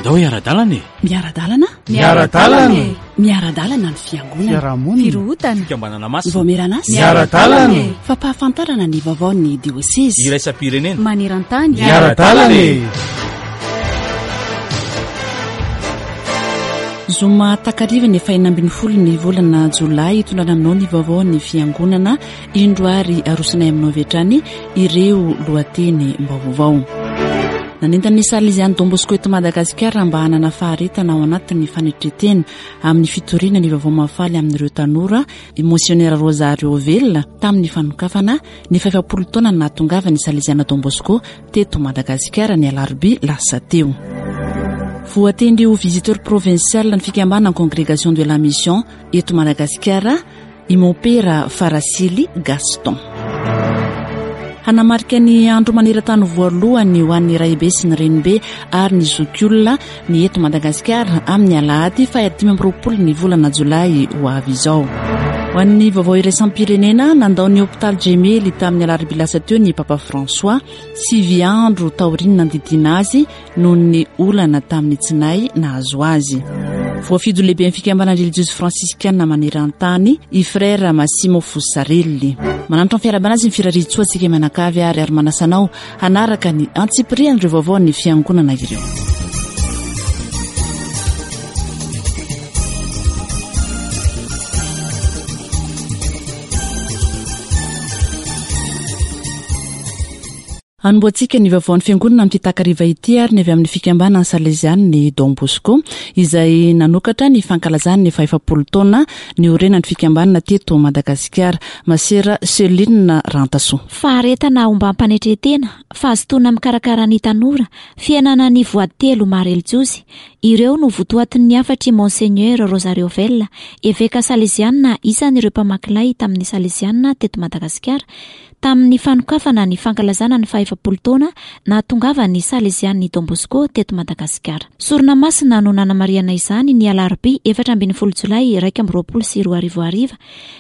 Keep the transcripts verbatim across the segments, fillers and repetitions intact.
Andao hiara-dalana e! Miara-dalana? Miara-dalana e! Miara-dalana ny fiangonana. Fiarahamonina. Firohotana. Fikambanana masina. Vaomieran'asa. Miara-dalana e! Fampahafantarana ny vaovaon'ny diosezy. Iraisam-pirenena. Maneran-tany. Miara-dalana e! Zoma takariva ny fahenina ambin'ny folo ny volana jolay hitondrana aminao ny vaovao ny fiangonana. Indro ary arosinay aminao avy hatrany ireo lohateny vaovao. Nanentana ny Salesian'ny Don Bosco eto Madagasikara mba hanana faharetana ao anatin'ny fanetren-tena amin'ny fitoriana ny vaovao mahafaly amin'ireo tanora i Monseigneur Rosario Vella tamin'ny fanokafana ny fahefapolo taona nahatongavan'ny Salesiana Don Bosco teto Madagasikara ny alarobia lasa teo. Voatendry ho visiteur provincial ny fikambanana Congrégation de la Mission eto Madagasikara i Mompera Farasily Gaston. Hanamarika ny andro maneran-tany voalohany ho an'ny raibe sy ny renibe ary ny zokiolona ny eto Madagasikara amin'ny alahady fahadimy amby roapolo ny volana jolay ho avy izao. Ho an'ny vaovao iraisam-pirenena, nandao ny hôpitaly Gemelli tamin'ny alarobia lasa teo ny Papa François, sivy andro taorian'ny nandidiana azy noho ny olana tamin'ny tsinay nahazo azy. Voafidy ho lehiben'ny fikambanana relijiozy fransiskana maneran-tany i Frère Massimo Fossarelli. Mananitra ny fiarahabana azy ny firariantsoa antsika mianakavy ary ary manasa anao hanaraka ny antsipirian'ireo vaovao ny fiangonana ireo. Anombohantsika ny vaovaon'ny fiangonana amin'ity takariva ity ary ny avy amin'ny fikambanana Salesian'ny Don Bosco izay nanokatra ny fankalazany ny fahefapolo taona niorenan'ny fikambanana teto Madagasikara. Masera Celine Rantasoa. Faharetana ombam-panetren-tena, fahazotoana mikarakara ny tanora, fiainana ny voady telo maha relijiozy, ireo no votoatin'ny hafatry Monseigneur Rosario Vella, eveka Salesiana isan'ireo mpamaky lay tamin'ny Salesiana teto Madagasikara, tamin'ny fanokafana ny fankalazana ny fahefapolo taona nahatongavan'ny Salesian'ny Don Bosco teto Madagasikara. Sorona masina no nanamarihana izany ny alarobia efatra ambin'ny folo jolay iraika amby roapolo sy roa arivo hariva,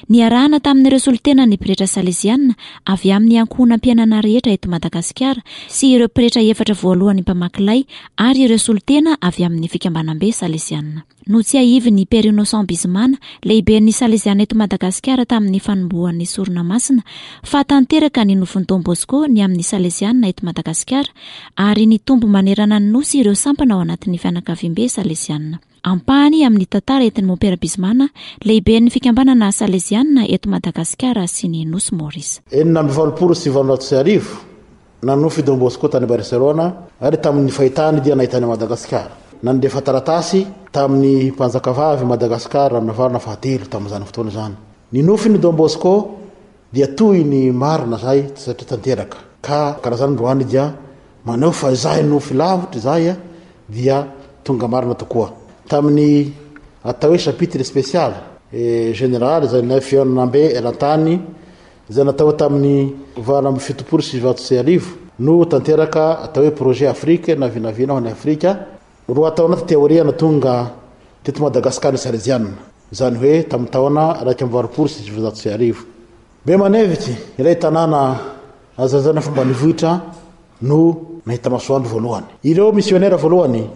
niarahana tamin'ireo solontenan'ny pretra Salesiana avy amin'ny ankohonam-piainana rehetra eto Madagasikara sy ireo pretra efatra voalohany mpamaky lay ary ireo solontena avy amin'ny fikambanam-be Salesiana. Notsiahivin'ny Père Innocent Bizimana, lehiben'ny Salesiana eto Madagasikara tamin'ny fanombohan'ny sorona masina, fa tanteraka ny nofin'i Don Bosco ny amin'ny Salesiana eto Madagasikara ary nitombo manerana ny nosy ireo sampana ao anatin'ny fianakaviambe Salesiana. Ampahany amin'ny tantara entin'ny Mompera Bizimana, lehiben'ny fikambanana Salesiana eto Madagasikara sy ny nosy Maurice. Enina amby valopolo sy valonjato sy arivo nanofy Don Bosco tany Barcelona ary tamin'ny fahitany dia nahitany Madagasikara. Nandefa taratasy tamin'ny mpanjakavavy Madagasikara Ranavalona fahatelo tamin'izany fotoana izany. Ny nofin'ny Don Bosco dia toy ny marina zay satria tanteraka. Ka karaha zany androany dia maneho fa izay nofy lavitra izay dia tonga marina tokoa. Tamin'ny atao hoe chapitre spécial et général izay nay fihaonambe eran-tany izay natao tamin'ny valo amby fitopolo sy sivinjato sy arivo no tanteraka atao hoe projet Afrique na vinavina ho an'i Afrika. Roa taona taty aoriana tonga teto Madagasikara ny Salesiana, izany hoe tamin'ny taona iraika amby valopolo sy sivinjato sy arivo. Bemaneviky, ilay tanàna azazana fomba nivohitra no nahita masoandro voalohany. Ireo misionera voalohany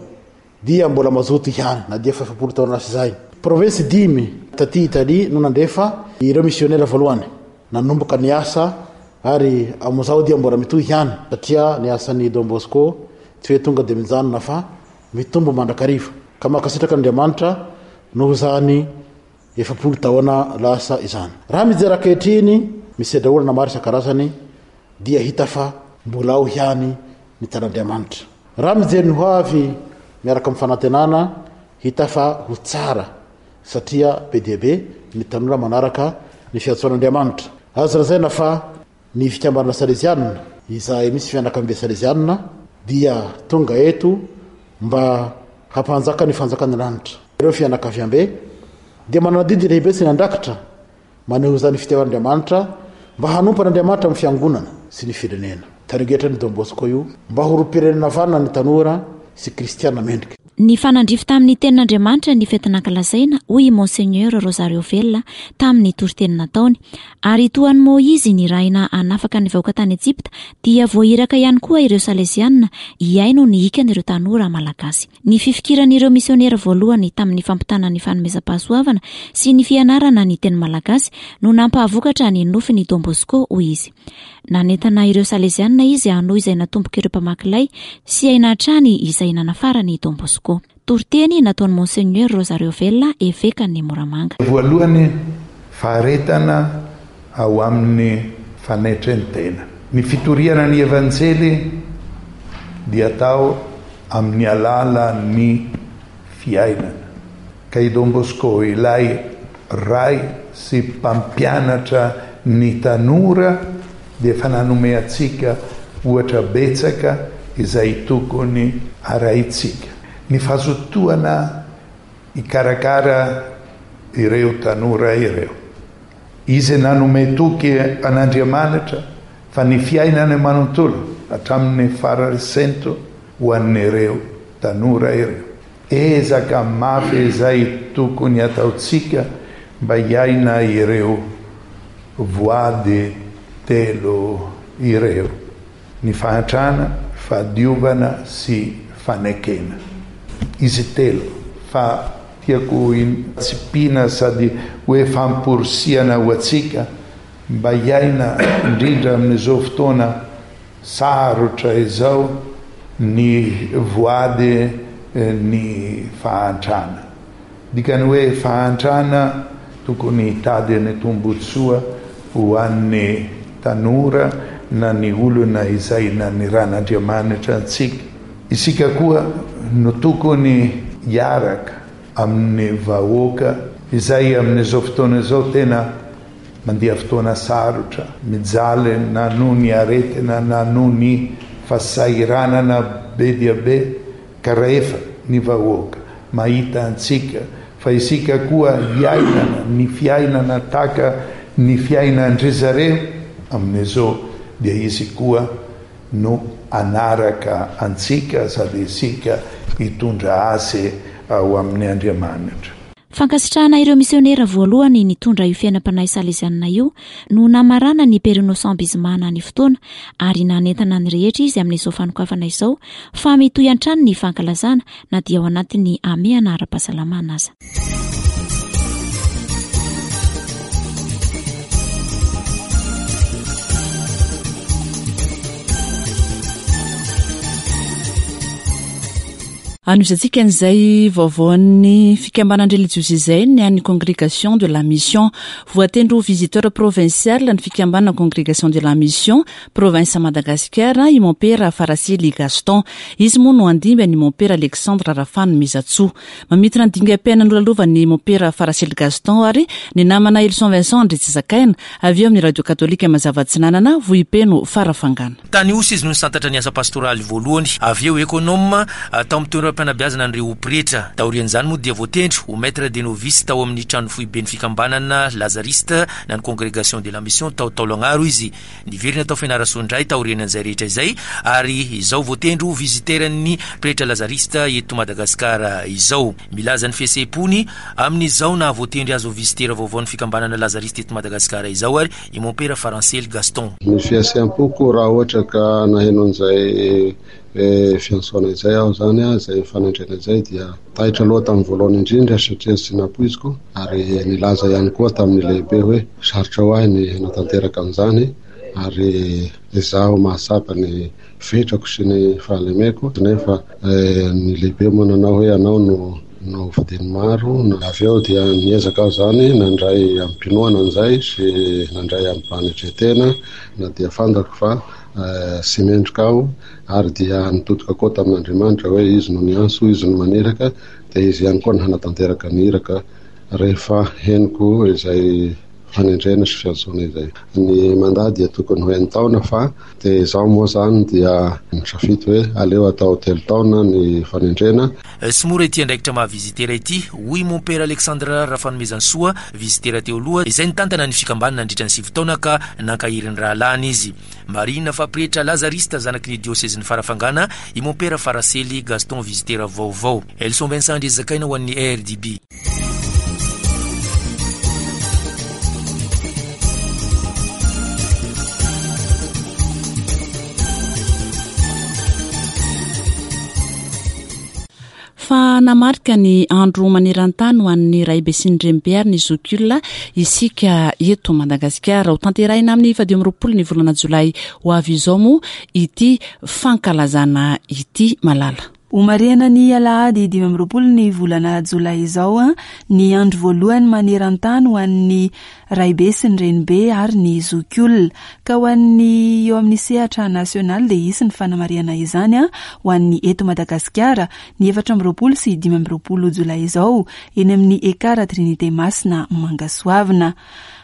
dia mbola mazoto ihany na dia efa efapolo taona lasa izay. Province dimy taty Italie no nandefa ireo misionera voalohany. Nanomboka ny asa ary amin'izao dia mbola mitohy ihany satria ny asan'ny Don Bosco tsy hoe tonga dia mijanona fa mitombo mandrakariva. Ka mankasitraka Andriamanitra noho izany efapolo taona lasa izany. Raha mijery ankehitriny misedra olana maro isan-karazany dia hita fa mbola ao ihany ny tan'Andriamanitra. Raha mijery ny ho avy miaraka amin'ny fanantenana hita fa ho tsara satria be dia be ny tanora manaraka ny fiantsoan'Andriamanitra. Azo lazaina fa ny fikambanana Salesiana izay misy fianakaviambe Salesiana dia tonga eto mba hampanjaka ny fanjakan'ny lanitra. Ireo fianakaviambe dia manana adidy lehibe sy ny andraikitra maneho izany fitiavan'Andriamanitra mba hanompo an'Andriamanitra amin'ny fiangonana sy ny firenena. Tarigetra ny Don Bosco io mba ho olom-pirenena vanona ny tanora sy kristiana mendrika. Ny fanandrify tamin'ny tenin'Andriamanitra ny fety nankalazaina, hoy i Monseigneur Rosario Vella tamin'ny toriteny nataony. Ary toa an'i Moizy nirahina hanafaka ny vahoaka tany Ejipta, dia voahiraka ihany koa ireo Salesianina hihaino ny hikan'ireo tanora malagasy. Ny fifikiran'ireo misionera voalohany tamin'ny fampitana ny fanomezam-pahasoavana sy ny fianarana ny teny malagasy no nampahavokatra ny nofin'i Don Bosco, hoy izy. Nanentana ireo Salesianina izy hanohy izay natombok'ireo mpamaky lay sy haina hatrany izay nanafarany Don Bosco. Toriteny nataon'i Monseigneur Rosario Vella, evekan'i Moramanga. Voalohany, faharetana ao amin'ny fanetren-tena. Ny fitoriana ny Evanjely dia atao amin'ny alalan'ny fiainana. Ka i Don Bosco, ilay ray sy mpampianatra ny tanora, dia efa nanome antsika ohatra betsaka izay tokony arahintsika. Ny fahazotoana hikarakara ireo tanora ireo. Izy nanome toky an'Andriamanitra fa ny fiainana manontolo hatramin'ny farasento ho an'ireo tanora ireo. Ezaka mafy izay tokony ataontsika mba hiaina ireo voady telo ireo: ny fahantrana, fahadiovana sy fanekena. Izy telo fa tiako tsipina sady hoe famporisihana ho antsika mba hiaina indrindra amin'izao fotoana sarotra izao ny voady ny fahantrana. Dikany hoe fahantrana tokony hitady ny tombotsoa ho an'ny tanora na ny olona izay naniran'Andriamanitra antsika. Isika koa no tokony hiaraka amin'ny vahoaka izay amin'izao fotoana izao tena mandia fotoana sarotra, mijaly na noho ny aretina na noho ny fahasahiranana be dia be, ka rehefa ny vahoaka mahita antsika fa isika koa hiainana ny fiainana tahaka ny fiainan-dry zareo amin'izao, dia izy koa no anaraka antsika sady isika hitondra azy ao amin'ny Andriamanitra. Fankasitrahana ireo misionera voalohany nitondra io fiainam-panahy salesianina io no namarana ny Père Innocent Bizimana ny fotoana, ary nanentana ny rehetra izy amin'izao fanokafana izao fa mitohy hatrany ny fankalazana na dia ao anatin'ny hamehana ara-pahasalamana aza. Anohizantsika an'izay vaovaon'ny fikambanan-drelijiozy izay ny an'ny Congrégation de la Mission. Voatendry ho visiteur provincial ny fikambanana Congrégation de la Mission province Madagascar i Mompera Farasily Gaston. Izy moa no handimby an'i Mompera Alexandre Rafano Mizatsoa. Mamintina ny dingam-piainana nolalovan'ny Mompera Farasily Gaston ary ny namana Elson Vincent Andritsizakaina avy eo amin'ny Radio Katolika Mazava Atsinanana Vohipeno Farafangana. Tany Osy izy no nisantatra ny asa pastoraly voalohany, avy eo économe tao amin'ny toeram-panabeazana an'ireo pretra. Taorian'izany moa dia voatendry ho maître des novices tao amin'ny trano foiben'ny fikambanana Lazariste na ny Congrégation de la Mission tao Taolagnaro izy. Niverina tao Fianarantsoa indray taorian'izay rehetra izay, ary izao voatendry ho visiteran'ny pretra Lazariste eto Madagasikara izao. Milaza ny fihetseham-pony amin'izao na voatendry azy ho visitera vaovaon'ny fikambanana Lazariste eto Madagasikara izao ary i Mompera Faransely Gaston. Ny fihetseham-poko raha ohatra ka naheno an'izay fiantsoana izay aho zany, izay fanendrena izay, dia taitra aloha tamin'ny voalohany indrindra satria tsy nampoiziko, ary nilaza ihany koa tamin'ny lehibe hoe sarotra ho ahy ny hanatanteraka an'izany, ary izaho mahatsapa ny fetrako sy ny fahalemeko, nefa ny lehibe moa nanao hoe anao no no fidiny maro. Avy eo dia niezaka aho zany nandray am-pinoana an'izay sy nandray am-panetren-tena, na dia fantako fa tsy mendrika aho, ary dia nitodika koa tamin'Andriamanitra hoe izy no niantso, izy no maniraka, dia izy ihany koa no hanatanteraka ny iraka. Rehefa henoko izay fanendrena sy fiantsoana izay. Ny mandat dia tokony ho enin-taona fa dia izaho moa izany dia nisafidy hoe aleo atao telo taona ny fanendrena. Tsy mora ity andraikitra maha vizitera ity, hoy Mompera Alexandre Rafanomezantsoa, vizitera teo aloha, izay nitantana ny fikambanana nandritra ny sivy taona ka nankahery ny rahalahiny izy. Marihina fa pretra lazarista zanaky ny diosezin'i Farafangana i Mompera Farasely Gaston vizitera vaovao. Elson Vincent Andriazakaina ho an'ny R D B. Fa namarika ny andro maneran-tany ho an'ny raibe sy ny renibe ary ny zokiolona isika eto Madagasikara. Ho tanterahina amin'ny fahadimy amby roapolo ny volana jolay ho avy izao moa ity fankalazana ity malala. Homarihana ny alahady dimy amby roapolo ny volana jolay izao ny andro voalohany maneran-tany ho an'ny raibe sy ny renibe ary ny zokiolona. Ka ho an'ny eo amin'ny sehatra nasionaly dia hisy ny fanamarihana izany ho an'ny eto Madagasikara ny efatra amby roapolo sy dimy amby roapolo jolay izao eny amin'ny Ekara Trinité Masina Mangasoavina.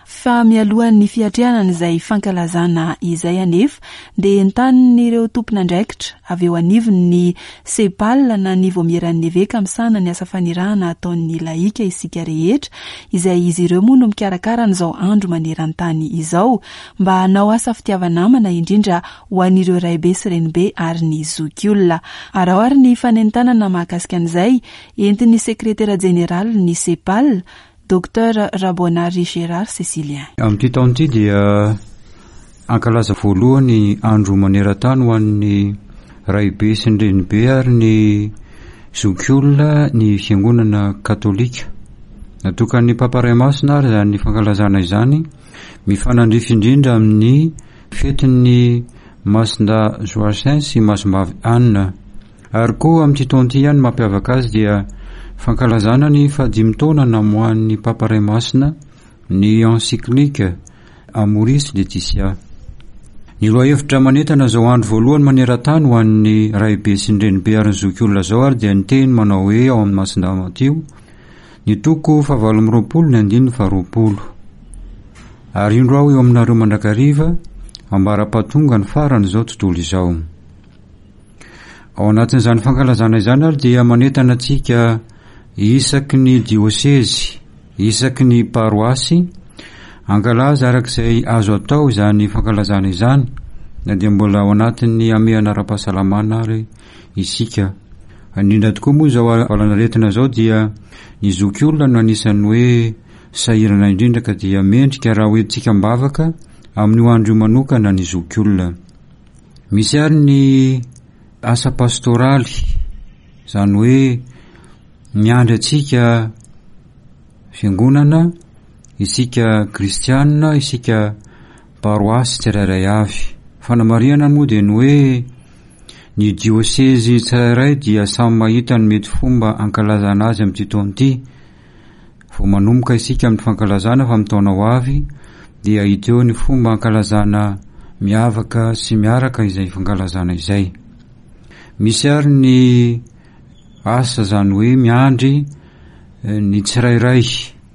Fa mialohan'ny fiatrehana an'izay fankalazana izay anefa dia entanin'ireo tompon'andraikitra avy eo anivon'ny SEPAL na ny Vaomieran'ny Eveka misahana ny asa fanirahana ataon'ny laika isika rehetra, izay izy ireo moa no mikarakara an'izao andro maneran-tany izao mba hanao asa fitiava-namana indrindra ho an'ireo raibe sy renibe ary ny zokiolona. Araho ary ny fanentanana mahakasika an'izay entin'ny sekretera jeneralin'ny SEPAL, Docteur Rabonary Gérard Cécilien. Amin'ity taona ity dia ankalaza voalohany andro maneran-tany ho an'ny raibe sy ny renibe ary ny zokiolona ny fiangonana katolika. Natokan'ny Papa Ray Masina ary izany fankalazana izany mifanandrify indrindra amin'ny fetin'ny Masina Joachim sy Masimbavy Anne. Ary koa amin'ity taona ity ihany mampiavaka azy dia fankalazana ny fahadimy taona namoahan'ny Papa Ray Masina ny encyclique Amoris Laetitia. Ny lohahevitra manentana izao andro voalohany maneran-tany ho an'ny raibe sy ny renibe ary ny zokiolona izao ary dia ny teny manao hoe ao amin'ny Masina Matio ny toko fahavalo amby roapolo ny andininy faharoapolo. Ary indro aho eo aminareo mandrakariva ambara-pahatonga ny faran'izao tontolo izao. Ao anatin'izany fankalazana izany ary dia manentana antsika isaky ny diosezy, isaky ny paroasy, ankalaza arak'izay azo atao izany fankalazana izany, na dia mbola ao anatin'ny hamehana ara-pahasalamana ary isika. Indrindra tokoa moa izao valanaretina izao dia ny zokiolona no anisan'ny hoe sahirana indrindra ka dia mendrika raha hoentintsika am-bavaka amin'io andro io manokana ny zokiolona. Misy ary ny asa pastoraly, izany hoe miandry antsika fiangonana, isika kristianina, isika paroasy tsirairay avy. Fanamarihana moa dia ny hoe ny diosezy tsirairay dia samy mahita ny mety fomba ankalazana azy amin'ity taona ity. Vao manomboka isika amin'ny fankalazana fa amin'ny taona ho avy dia hita eo ny fomba ankalazana miavaka sy miaraka izay fankalazana izay. Misy ary ny asa izany hoe miandry ny tsirairay,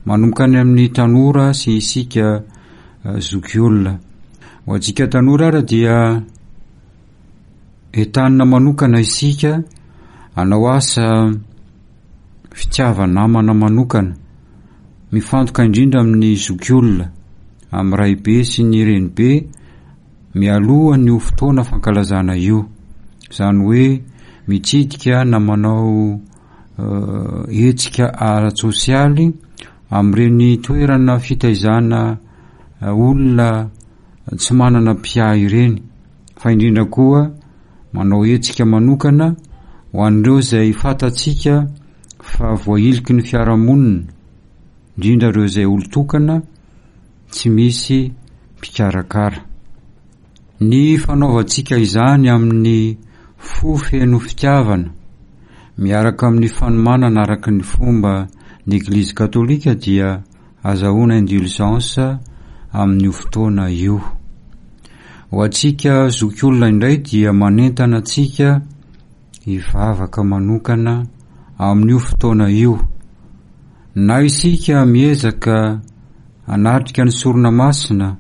manomboka any amin'ny tanora sy isika zokiolona. Ho antsika tanora ary dia entanina manokana isika hanao asa fitiava-namana manokana, mifantoka indrindra amin'ny zokiolona, amin'ny raibe sy ny renibe mialohan'io fotoana fankalazana io. Izany hoe mitsidika na manao hetsika ara-tsosialy amin'ireny toerana fitaizana olona tsy manana mpiahy ireny, fa indrindra koa manao hetsika manokana ho an'ireo izay fantatsika fa voahiliky ny fiarahamonina, indrindra ireo izay olon-tokana tsy misy mpikarakara. Ny fanaovantsika izany amin'ny fo feno fitiavana miaraka amin'ny fanomanana araka ny fomba ny Eglizy katolika dia azahoana indulgence amin'io fotoana io. Ho antsika zokiolona indray dia manentana antsika hivavaka manokana amin'io fotoana io. Na isika miezaka hanatrika ny sorona masina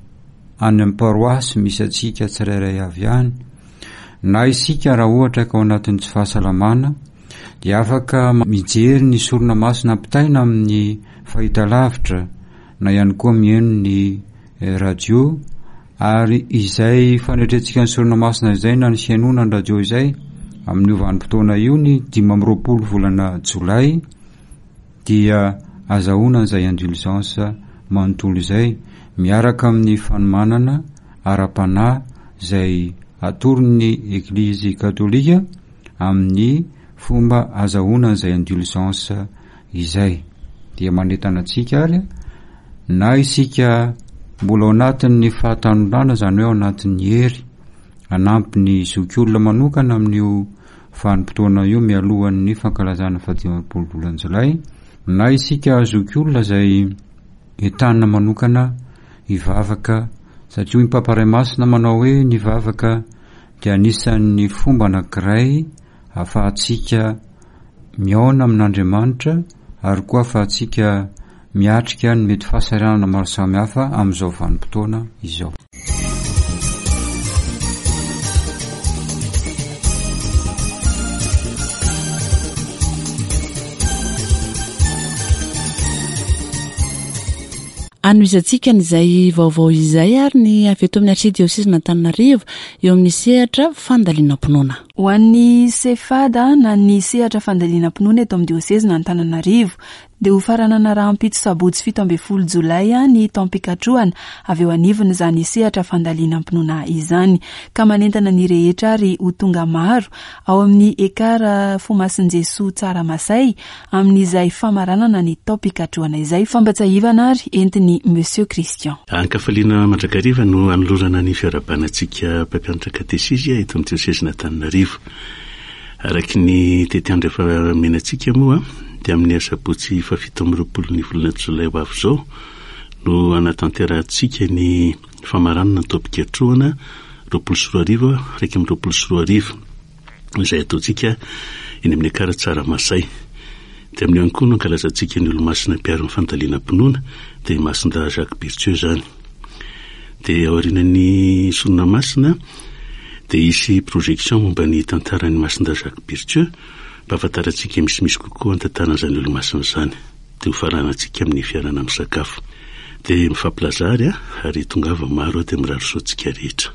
any amin'ny paroasy misy antsika tsirairay avy any, na isika raha ohatra ka ao anatin'ny tsy fahasalamana dia afaka mijery ny sorona masina ampitaina amin'ny fahitalavitra na ihany koa mihaino ny radio, ary izay fanetrentsika ny sorona masina izay na ny fihainoana ny radio izay amin'io vanim-potoana io ny dimy amby roapolo volana jolay dia azahoana izay indulgence manontolo izay miaraka amin'ny fanomanana ara-panahy izay atoron'ny Eglizy katolika amin'ny fomba azahoana izay indulgence izay. Dia manentana antsika ary na isika mbola ao anatin'ny fahatanorana, izany hoe ao anatin'ny hery hanampy ny zokiolona manokana amin'io vanim-potoana io mialohan'ny fankalazana fahadimy amby roapolo volana jolay, na isika zokiolona izay entanina manokana hivavaka, satria hoy ny Papa Ray Masina manao hoe ny vavaka dia anisan'ny fomba anankiray ahafahantsika mihaona amin'Andriamanitra ary koa ahafahantsika miatrika ny mety fahasahiranana maro samihafa amin'izao vanim-potoana izao. Anohizantsika an'izay vaovao izay ary ny avy eto amin'ny arsidiosezin'Antananarivo eo amin'ny sehatra fandalinam-pinoana. Ho an'ny SEFADA na ny sehatra fandalinam-pinoana eto amin'ny diosezin'Antananarivo dia ho faranana rahampitso sabotsy fito ambin'ny folo jolay ny taom-pikatrohana avy eo anivon'izany sehatra fandalinam-pinoana izany, ka manentana ny rehetra ary ho tonga maro ao amin'ny Ekar Fomasin'i Jesoa Tsaramasay amin'izay famaranana ny taom-pikatrohana izay. Fambatsahivana ary entin'ny Monsieur Christian. Ankafaliana mandrakariva no anolorana ny fiarahabanantsika mpampianatra katesizy eto amin'ny diosezin'Antananarivo. Araky ny tetiandro efa omenantsika moa dia amin'ny asabotsy fahafito amby roapolo ny volana jolay ho avy izao no anatanterahantsika ny famaranana ny taom-pikatrohana roapolo sy roa arivo iraika amby roapolo sy roa arivo izay ataontsika eny amin'ny Ekar Tsaramasay. Dia amin'io ihany koa no ankalazantsika ny olomasina mpiaro ny fandalinam-pinoana, dia i Masindahy Jacques Berthieu izany. Dia aorian'ny sorona masina dia hisy projection momba ny tantaran'ny Masindahy Jacques Berthieu mba hahafantarantsika misimisy kokoa ny tantaran'izany olomasina izany. Dia ho faranantsika amin'ny fiarahana misakafo. Dia mifampilaza ary, ary tongava maro dia mirary soa antsika rehetra.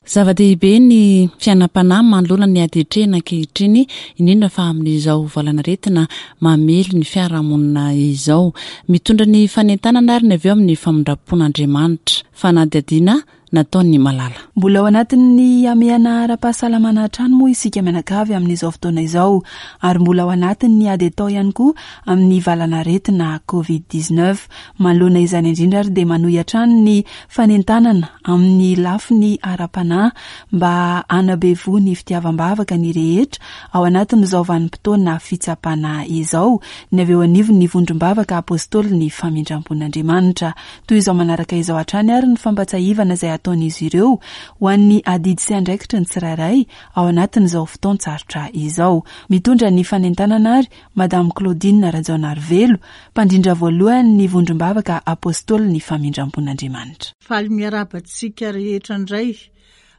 Zava-dehibe ny fiainam-panahy manoloana ny ady atrehina ankehitriny, indrindra fa amin'izao valanaretina mamely ny fiarahamonina izao. Mitondra ny fanentanana ary ny avy eo amin'ny famindram-pon'Andriamanitra. Fanadihadiana nataon'ny Malala. Mbola ao anatin'ny hamehana ara-pahasalamana hatrany moa isika mianakavy amin'izao fotoana izao, ary mbola ao anatin'ny ady atao ihany koa amin'ny valanaretina covid dix-neuf. Manoloana izany indrindra ary dia manohy hatrany ny fanentanana amin'ny lafiny ara-panahy mba hanabevoa ny fitiavam-bavaka ny rehetra ao anatin'izao vanim-potoana fitsapana izao, ny avy eo anivon'ny vondrom-bavaka apôstôly ny famindram-pon'Andriamanitra. Toy izao manaraka izao hatrany ary ny fampatsahivana izay ataon'izy ireo ho an'ny adidy sy andraikitry ny tsirairay ao anatin'izao fotoan-tsarotra izao. Mitondra ny fanentanana ary Madame Claudine Rajaonarivelo, mpandrindra voalohany ny vondrom-bavaka apôstôly ny famindram-pon'Andriamanitra. Faly miarahaba antsika rehetra indray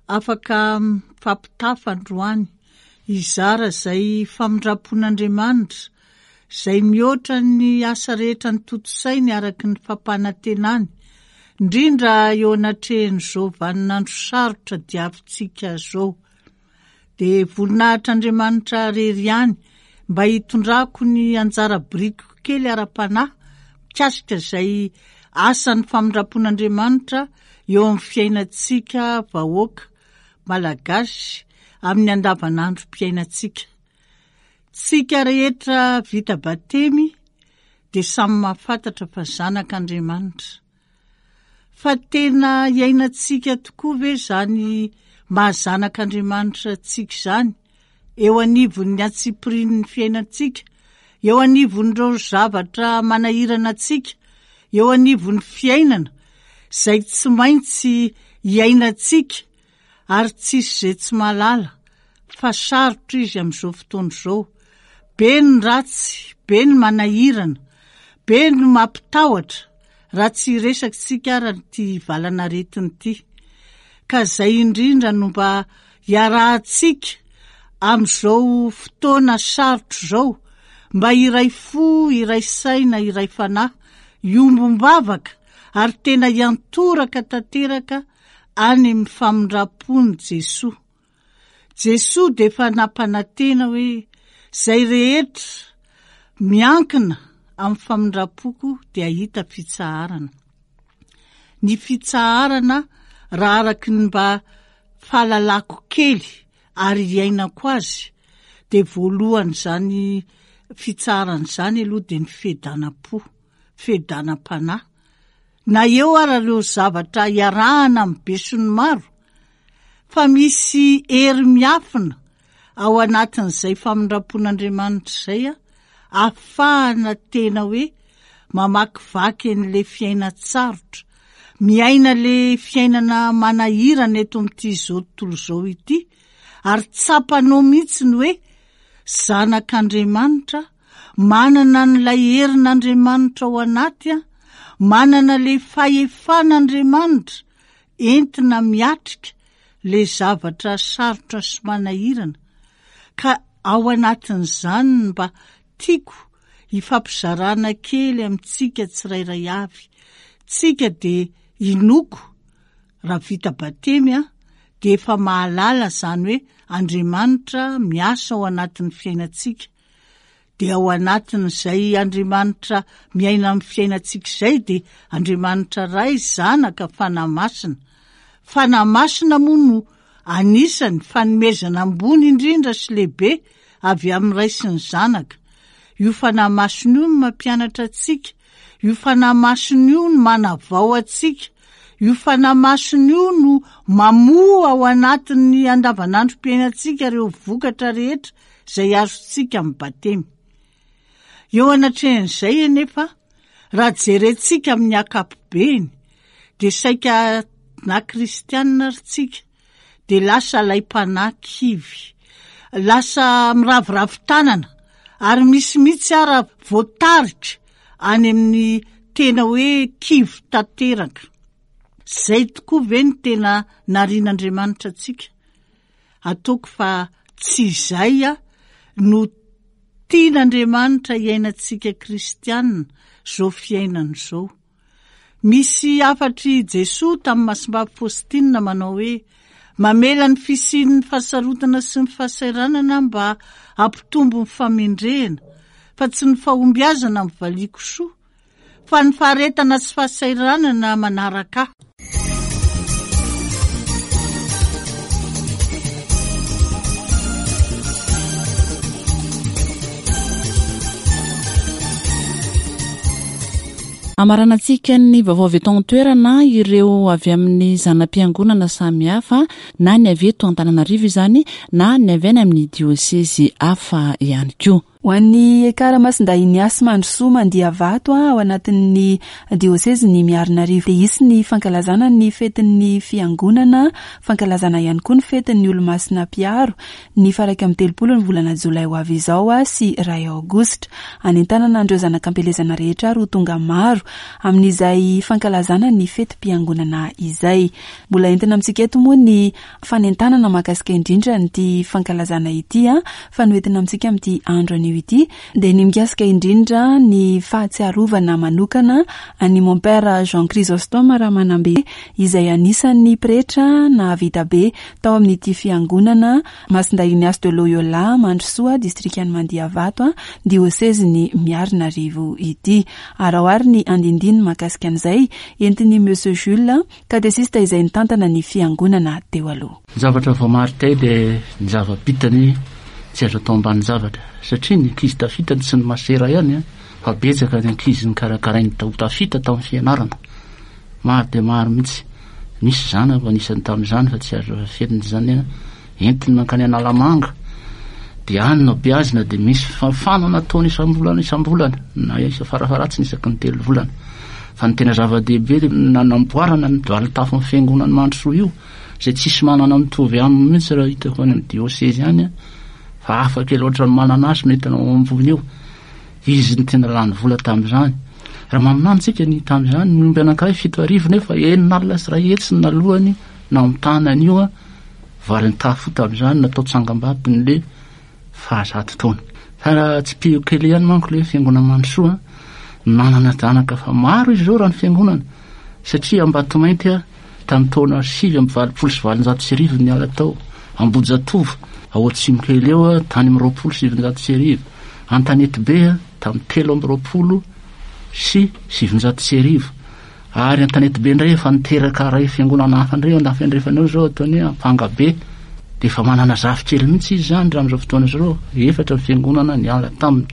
afaka mifampitafa androany hizara izay famindram-pon'Andriamanitra izay mihoatra ny asa rehetra notontosainy araka ny fampanantenany, indrindra eo anatrehan'izao vaninandro sarotra diavintsika izao. Dia voninahitr'Andriamanitra irery ihany mba hitondrako ny anjara birikiko kely ara-panahy mikasika izay asan'ny famindram-pon'Andriamanitra eo amin'ny fiainantsika vahoaka malagasy amin'ny andavanandrom-piainantsika. Tsika rehetra vita batemy dia samy mahafantatra fa zanak'Andriamanitra. Fa tena iainantsika tokoa ve izany maha zanak'Andriamanitra antsika izany eo anivon'ny antsipirian'ny fiainantsika, eo anivon'ireo zavatra manahirana antsika, eo anivon'ny fiainana izay tsy maintsy iainantsika ary tsisy izay tsy mahalala fa sarotra izy amin'izao fotoana izao. Be ny ratsy, be ny manahirana, be ny mampitahotra raha tsy hiresaka isika ara ity valan'aretina ity. Ka izay indrindra no mba hiarahantsika amin'izao fotoana sarotra izao, mba hiray fo, hiray saina, hiray fanahy, hiombom-bavaka ary tena hiantoraka tanteraka any amin'ny famindram-pon'i Jesoa. Jesoa dia efa nampanantena hoe izay rehetra miankina amin'ny famindram-poko dia hahita fitsaharana. Ny fitsaharana raha araky ny mba fahalalako kely ary iainako azy dia voalohan'izany fitsaharana izany aloha dia ny fiadanam-po, fiadanam-panahy. Na eo ara ireo zavatra iarahana amin'ny besinimaro, fa misy hery miafina ao anatin'izay famindram-pon'Andriamanitra izay ahafahana tena hoe mamakivaky an'ilay fiainan-tsarotra, miaina ilay fiainana manahirana eto amin'ity izao tontolo izao ity, ary tsapanao mihitsy ny hoe zanak'Andriamanitra, manana an'ilay herin'Andriamanitra ao anaty, manana ilay fahefan'Andriamanitra entina miatrika ilay zavatra sarotra sy manahirana. Ka ao anatin'izany no mba tiako hifampizarana kely amintsika tsirairay avy. Tsika dia inoko raha vita batemy a, dia efa mahalala izany hoe Andriamanitra miasa ao anatin'ny fiainantsika. Dia ao anatin'izay Andriamanitra miaina amin'ny fiainantsika izay dia Andriamanitra Ray, Zanaka, Fanahy Masina. Fanahy Masina moa no anisany fanomezana ambony indrindra sy lehibe avy amin'ny Ray sy ny Zanaka. Io Fanahy Masina io no mampianatra antsika, io Fanahy Masina io no manavao antsika, io Fanahy Masina io no mamoa ao anatin'ny andavanandrom-piainantsika ireo vokatra rehetra izay azontsika amin'ny batemy. Eo anatrehan'izay anefa, raha jerentsika amin'ny ankapobeny, dia saika na kristianina ary tsika, dia lasa alaim-panahy kivy, lasa miraviravy tanana, ary misy mihitsy ara voatarika any amin'ny tena hoe kivy tanteraka. Izay tokoa ve ny tena narian'Andriamanitra antsika? Ataoko fa tsy izay no tian'Andriamanitra hiainantsika kristianina izao fiainana izao. Misy hafatr'i Jesoa tamin'ny Masimbavy Faustina manao hoe mamela ny fisian'ny fahasarotana sy ny fahasahiranana mba hampitombo ny famendrehana, fa tsy ny fahombiazana amin'ny valiako soa, fa ny faharetana sy fahasahiranana manaraka ahy. Amaranantsika ny vaovao avy eto an-toerana ireo avy amin'ny zana-piangonana samihafa, na ny avy eto Antananarivo izany, na ny avy any amin'ny diosezy hafa ihany koa. Ho an'ny Ekara Masindahy Ignace Mandrosoa Mandiavato ao anatin'ny diosezy ny Miarinarivo dia hisy ny fankalazana ny fetin'ny fiangonana, fankalazana ihany koa ny fetin'ny Olomasina Mpiaro ny faha-iraika amby telopolo ny volana jolay ho avy izao sy iray aogositra. Anentanana an'ireo zanak'ampielezana rehetra ary ho tonga maro amin'izay fankalazana ny fetim-piangonana izay. Mbola entina amintsika eto moa ny fanentanana mahakasika indrindra nyity fankalazana ity, fa noentina amintsika amin'ity andro anio ity dia ny mikasika indrindra ny fahatsiarovana manokana an'i mon père Jean Chrysostome Ramanambe izay anisan'ny pretra nahavita be tao amin'ity fiangonana Masindahy Ignace de Loyola Mandrosoa distrikan'i Mandiavato diosezin'i Miarinarivo ity. Ary ao ary ny andindiny mahakasika an'izay entin'i Monsieur Jules, katesista izay nitantana ny fiangonana teo aloha. Ny zavatra voamarikay dia ny zava-bitany tsy azo atao ambany zavatra, satria ny ankizy tafitany tsy ny masera ihany, fa betsaka ny ankizy nikarakarainy ho tafita tamin'ny fianarana. Maro dia maro mihitsy. Misy zanako anisany tamin'izany fa tsy azo afenina izany, entiny mankany Analamanga dia any no beazina, dia misy fafanana ataony isam-bolana isam-bolana na isa farafaratsiny isaky ny telo volana. Fa ny tena zava-dehibe dia nanamboarana ny valin-tafon'ny fiangonan'i Mandrosoa io, izay tsisy manana mitovy aminy mihitsy raha hitako any amin'ny diosezy any, fa hafa kely ohatran'ny manana azy no hitanao ao ambony eo. Izy no tena lany vola tamin'izany. Raha maminany tsika ny tamin'izany, ny omby anankiray fito arivo nefa enina alina sy iray hetsy ny nalohany namontana an'io valin-tafo tamin'izany natao tsangambaton'le fahazato taona. Fa raha tsipihiko kely ihany manko le fiangonana Mandrosoa, nanana zanaka fa maro izy ireo raha ny fiangonana, satria Ambatomainty a, tamin'ny taona sivy amby valopolo sy valonjato sy arivo niala tao Ambohijatovo, ao atsimo kely eo a, tany amin'ny roapolo sy sivinjato sy arivo, Antanetibe a, tamin'ny telo amby roapolo sy sivinjato sy arivo, ary Antanetibe indray efa niteraka ray fiangonana hafa indray eo andafy andrefana eo izao ataony hoe Ampangabe, dia efa manana zafikely mihitsy izy izany raha amin'izao fotoana izao, efatra ny fiangonana niala taminy.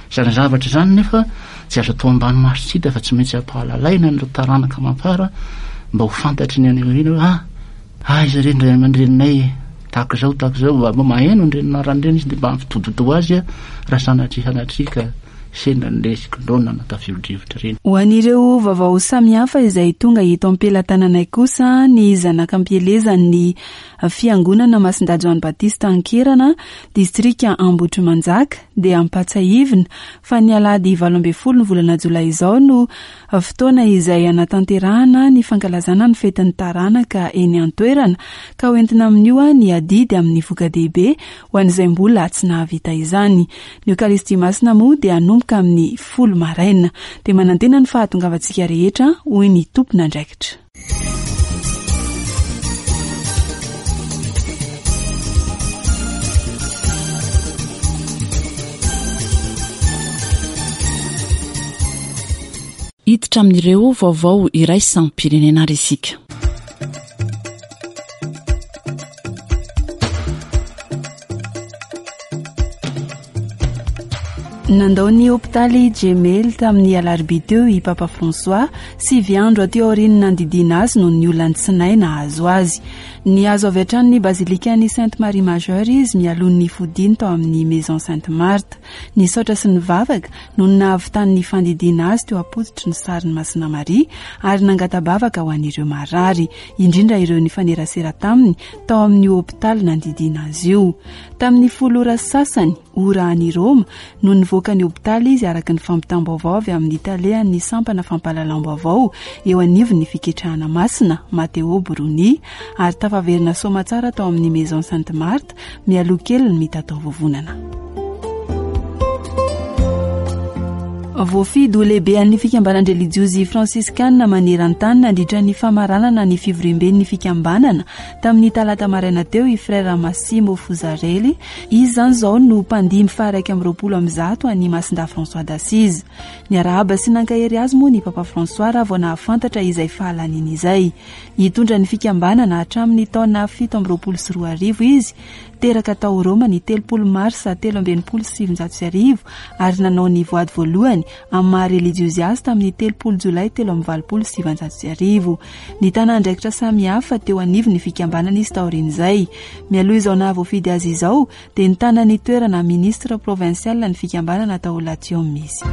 Izany zavatra izany nefa tsy azo atao ambany maso tsy hita fa tsy maintsy ampahalalaina an'ireo taranaka amam-para mba ho fantatry ny any aoriana hoe ah, aiza re ny ray aman-dreninay tahaka izao tahaka izao, mba mba maheno an'ireny anarana ireny izy dia mba ampitodi-doha azy raha sanatria sanatria ka sendra an'ilay sikondrona na tafio-drivotra ireny. Ho an'ireo vaovao samihafa izay tonga eto am-pelatananay kosa, ny zanak'ampielezan'ny Fiangonana Masindahy Joany Batista Ankerana, distrika Ambohitrimanjaka, dia ampatsahivina fa ny alahady valo ambin'ny folo ny volana jolay izao no fotoana izay hanatanterahana ny fankalazana ny fetin'ny taranaka eny an-toerana, ka hoentina amin'io ny adidy amin'ny voka-dehibe ho an'izay mbola tsy nahavita izany. Ny Eokaristia Masina moa dia hanomboka amin'ny folo maraina. Dia manantena ny fahatongavantsika rehetra, hoy ny tompon'andraikitra. Hiditra amin'ireo vaovao iraisam-pirenena ary isika. Nandao ny hopitaly Gemelli tamin'ny alarobia teo i Papa François, sivy andro aty aorian'ny nandidiana azy noho ny olan'ny tsinay nahazo azy. Nihazo avy hatrany ny bazilikan'i Sainte Marie Majeure izy mialoha ny fodiany tao amin'ny Maison Sainte Marthe. Nisaotra sy nivavaka noho ny nahavitany ny fandidiana azy teo am-pototry ny sarin'i Masina Maria ary nangata-bavaka ho an'ireo marary, indrindra ireo nifanerasera taminy tao amin'io hopitaly nandidiana azy io. Tamin'ny folo ora sasany, ora any Roma, no nivoaka ny hopitaly izy araka ny fampitam-baovao avy amin'ny talehan'ny sampana fampahalalam-baovao eo anivon'ny fiketrahana masina, Matteo Bruni, ary tafaverina soamatsara tao amin'ny Maison Sainte Marthe mialoha kely ny mitataovovonana. Voafidy ho lehibean'ny fikambanan-drelijiozy fransiskana maneran-tany nandritra ny famaranana ny fivoriamben'ny fikambanana tamin'ny talata maraina teo i Frère Massimo Fusarelli. Izy izany izao no mpandimby faha-iraika amby roapolo amby zato an'i Masindahy François d'Assise. Niarahaba sy nankahery azy moa ny Papa François raha vao nahafantatra izay fahalaniany izay. Hitondra ny fikambanana hatramin'ny taona fito amby roapolo sy roa arivo izy. Teraka tao Roma ny telopolo marsa telo amby enimpolo sy sivinjato sy arivo ary nanao ny voady voalohany amin'ny maha relijiozy azy tamin'ny telopolo jolay telo amby valopolo sy sivinjato sy arivo. Nitana andraikitra samihafa teo anivon'ny fikambanana izy taorian'izay. Mialoha izao nahavoafidy azy izao dia nitana ny toerana ministre provincial ny fikambanana tao Latium izy.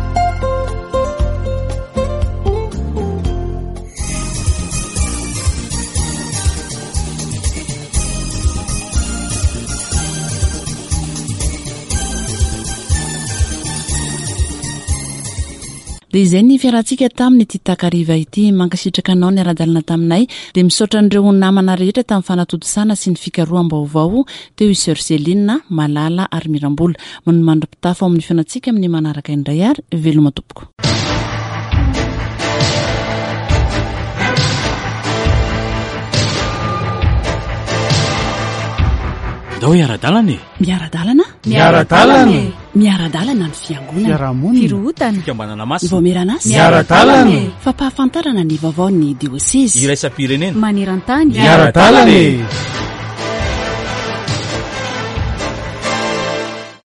Dia izay ny fiarahantsika tamin'ity takariva ity. Mankasitraka anao niara-dalana taminay. Dia misaotra an'ireo namana rehetra tamin'ny fanatontosana sy ny fikaroham-baovao teo i Sœur Céline, Malala ary Mirambola. Mandra-pitafa ao amin'ny fihaonantsika amin'ny manaraka indray ary veloma tompoko. Ndao hiara-dalana e! Miara-dalana? Miara-dalana e! Miara-dalana ny fiangonana. Fiarahamonina. Firohotana. Fikambanana masina. Ny vaomieran'asa. Miara-dalana e! Fampahafantarana ny vaovaon'ny diosezy. Iraisam-pirenena. Maneran-tany. Miara-dalana e!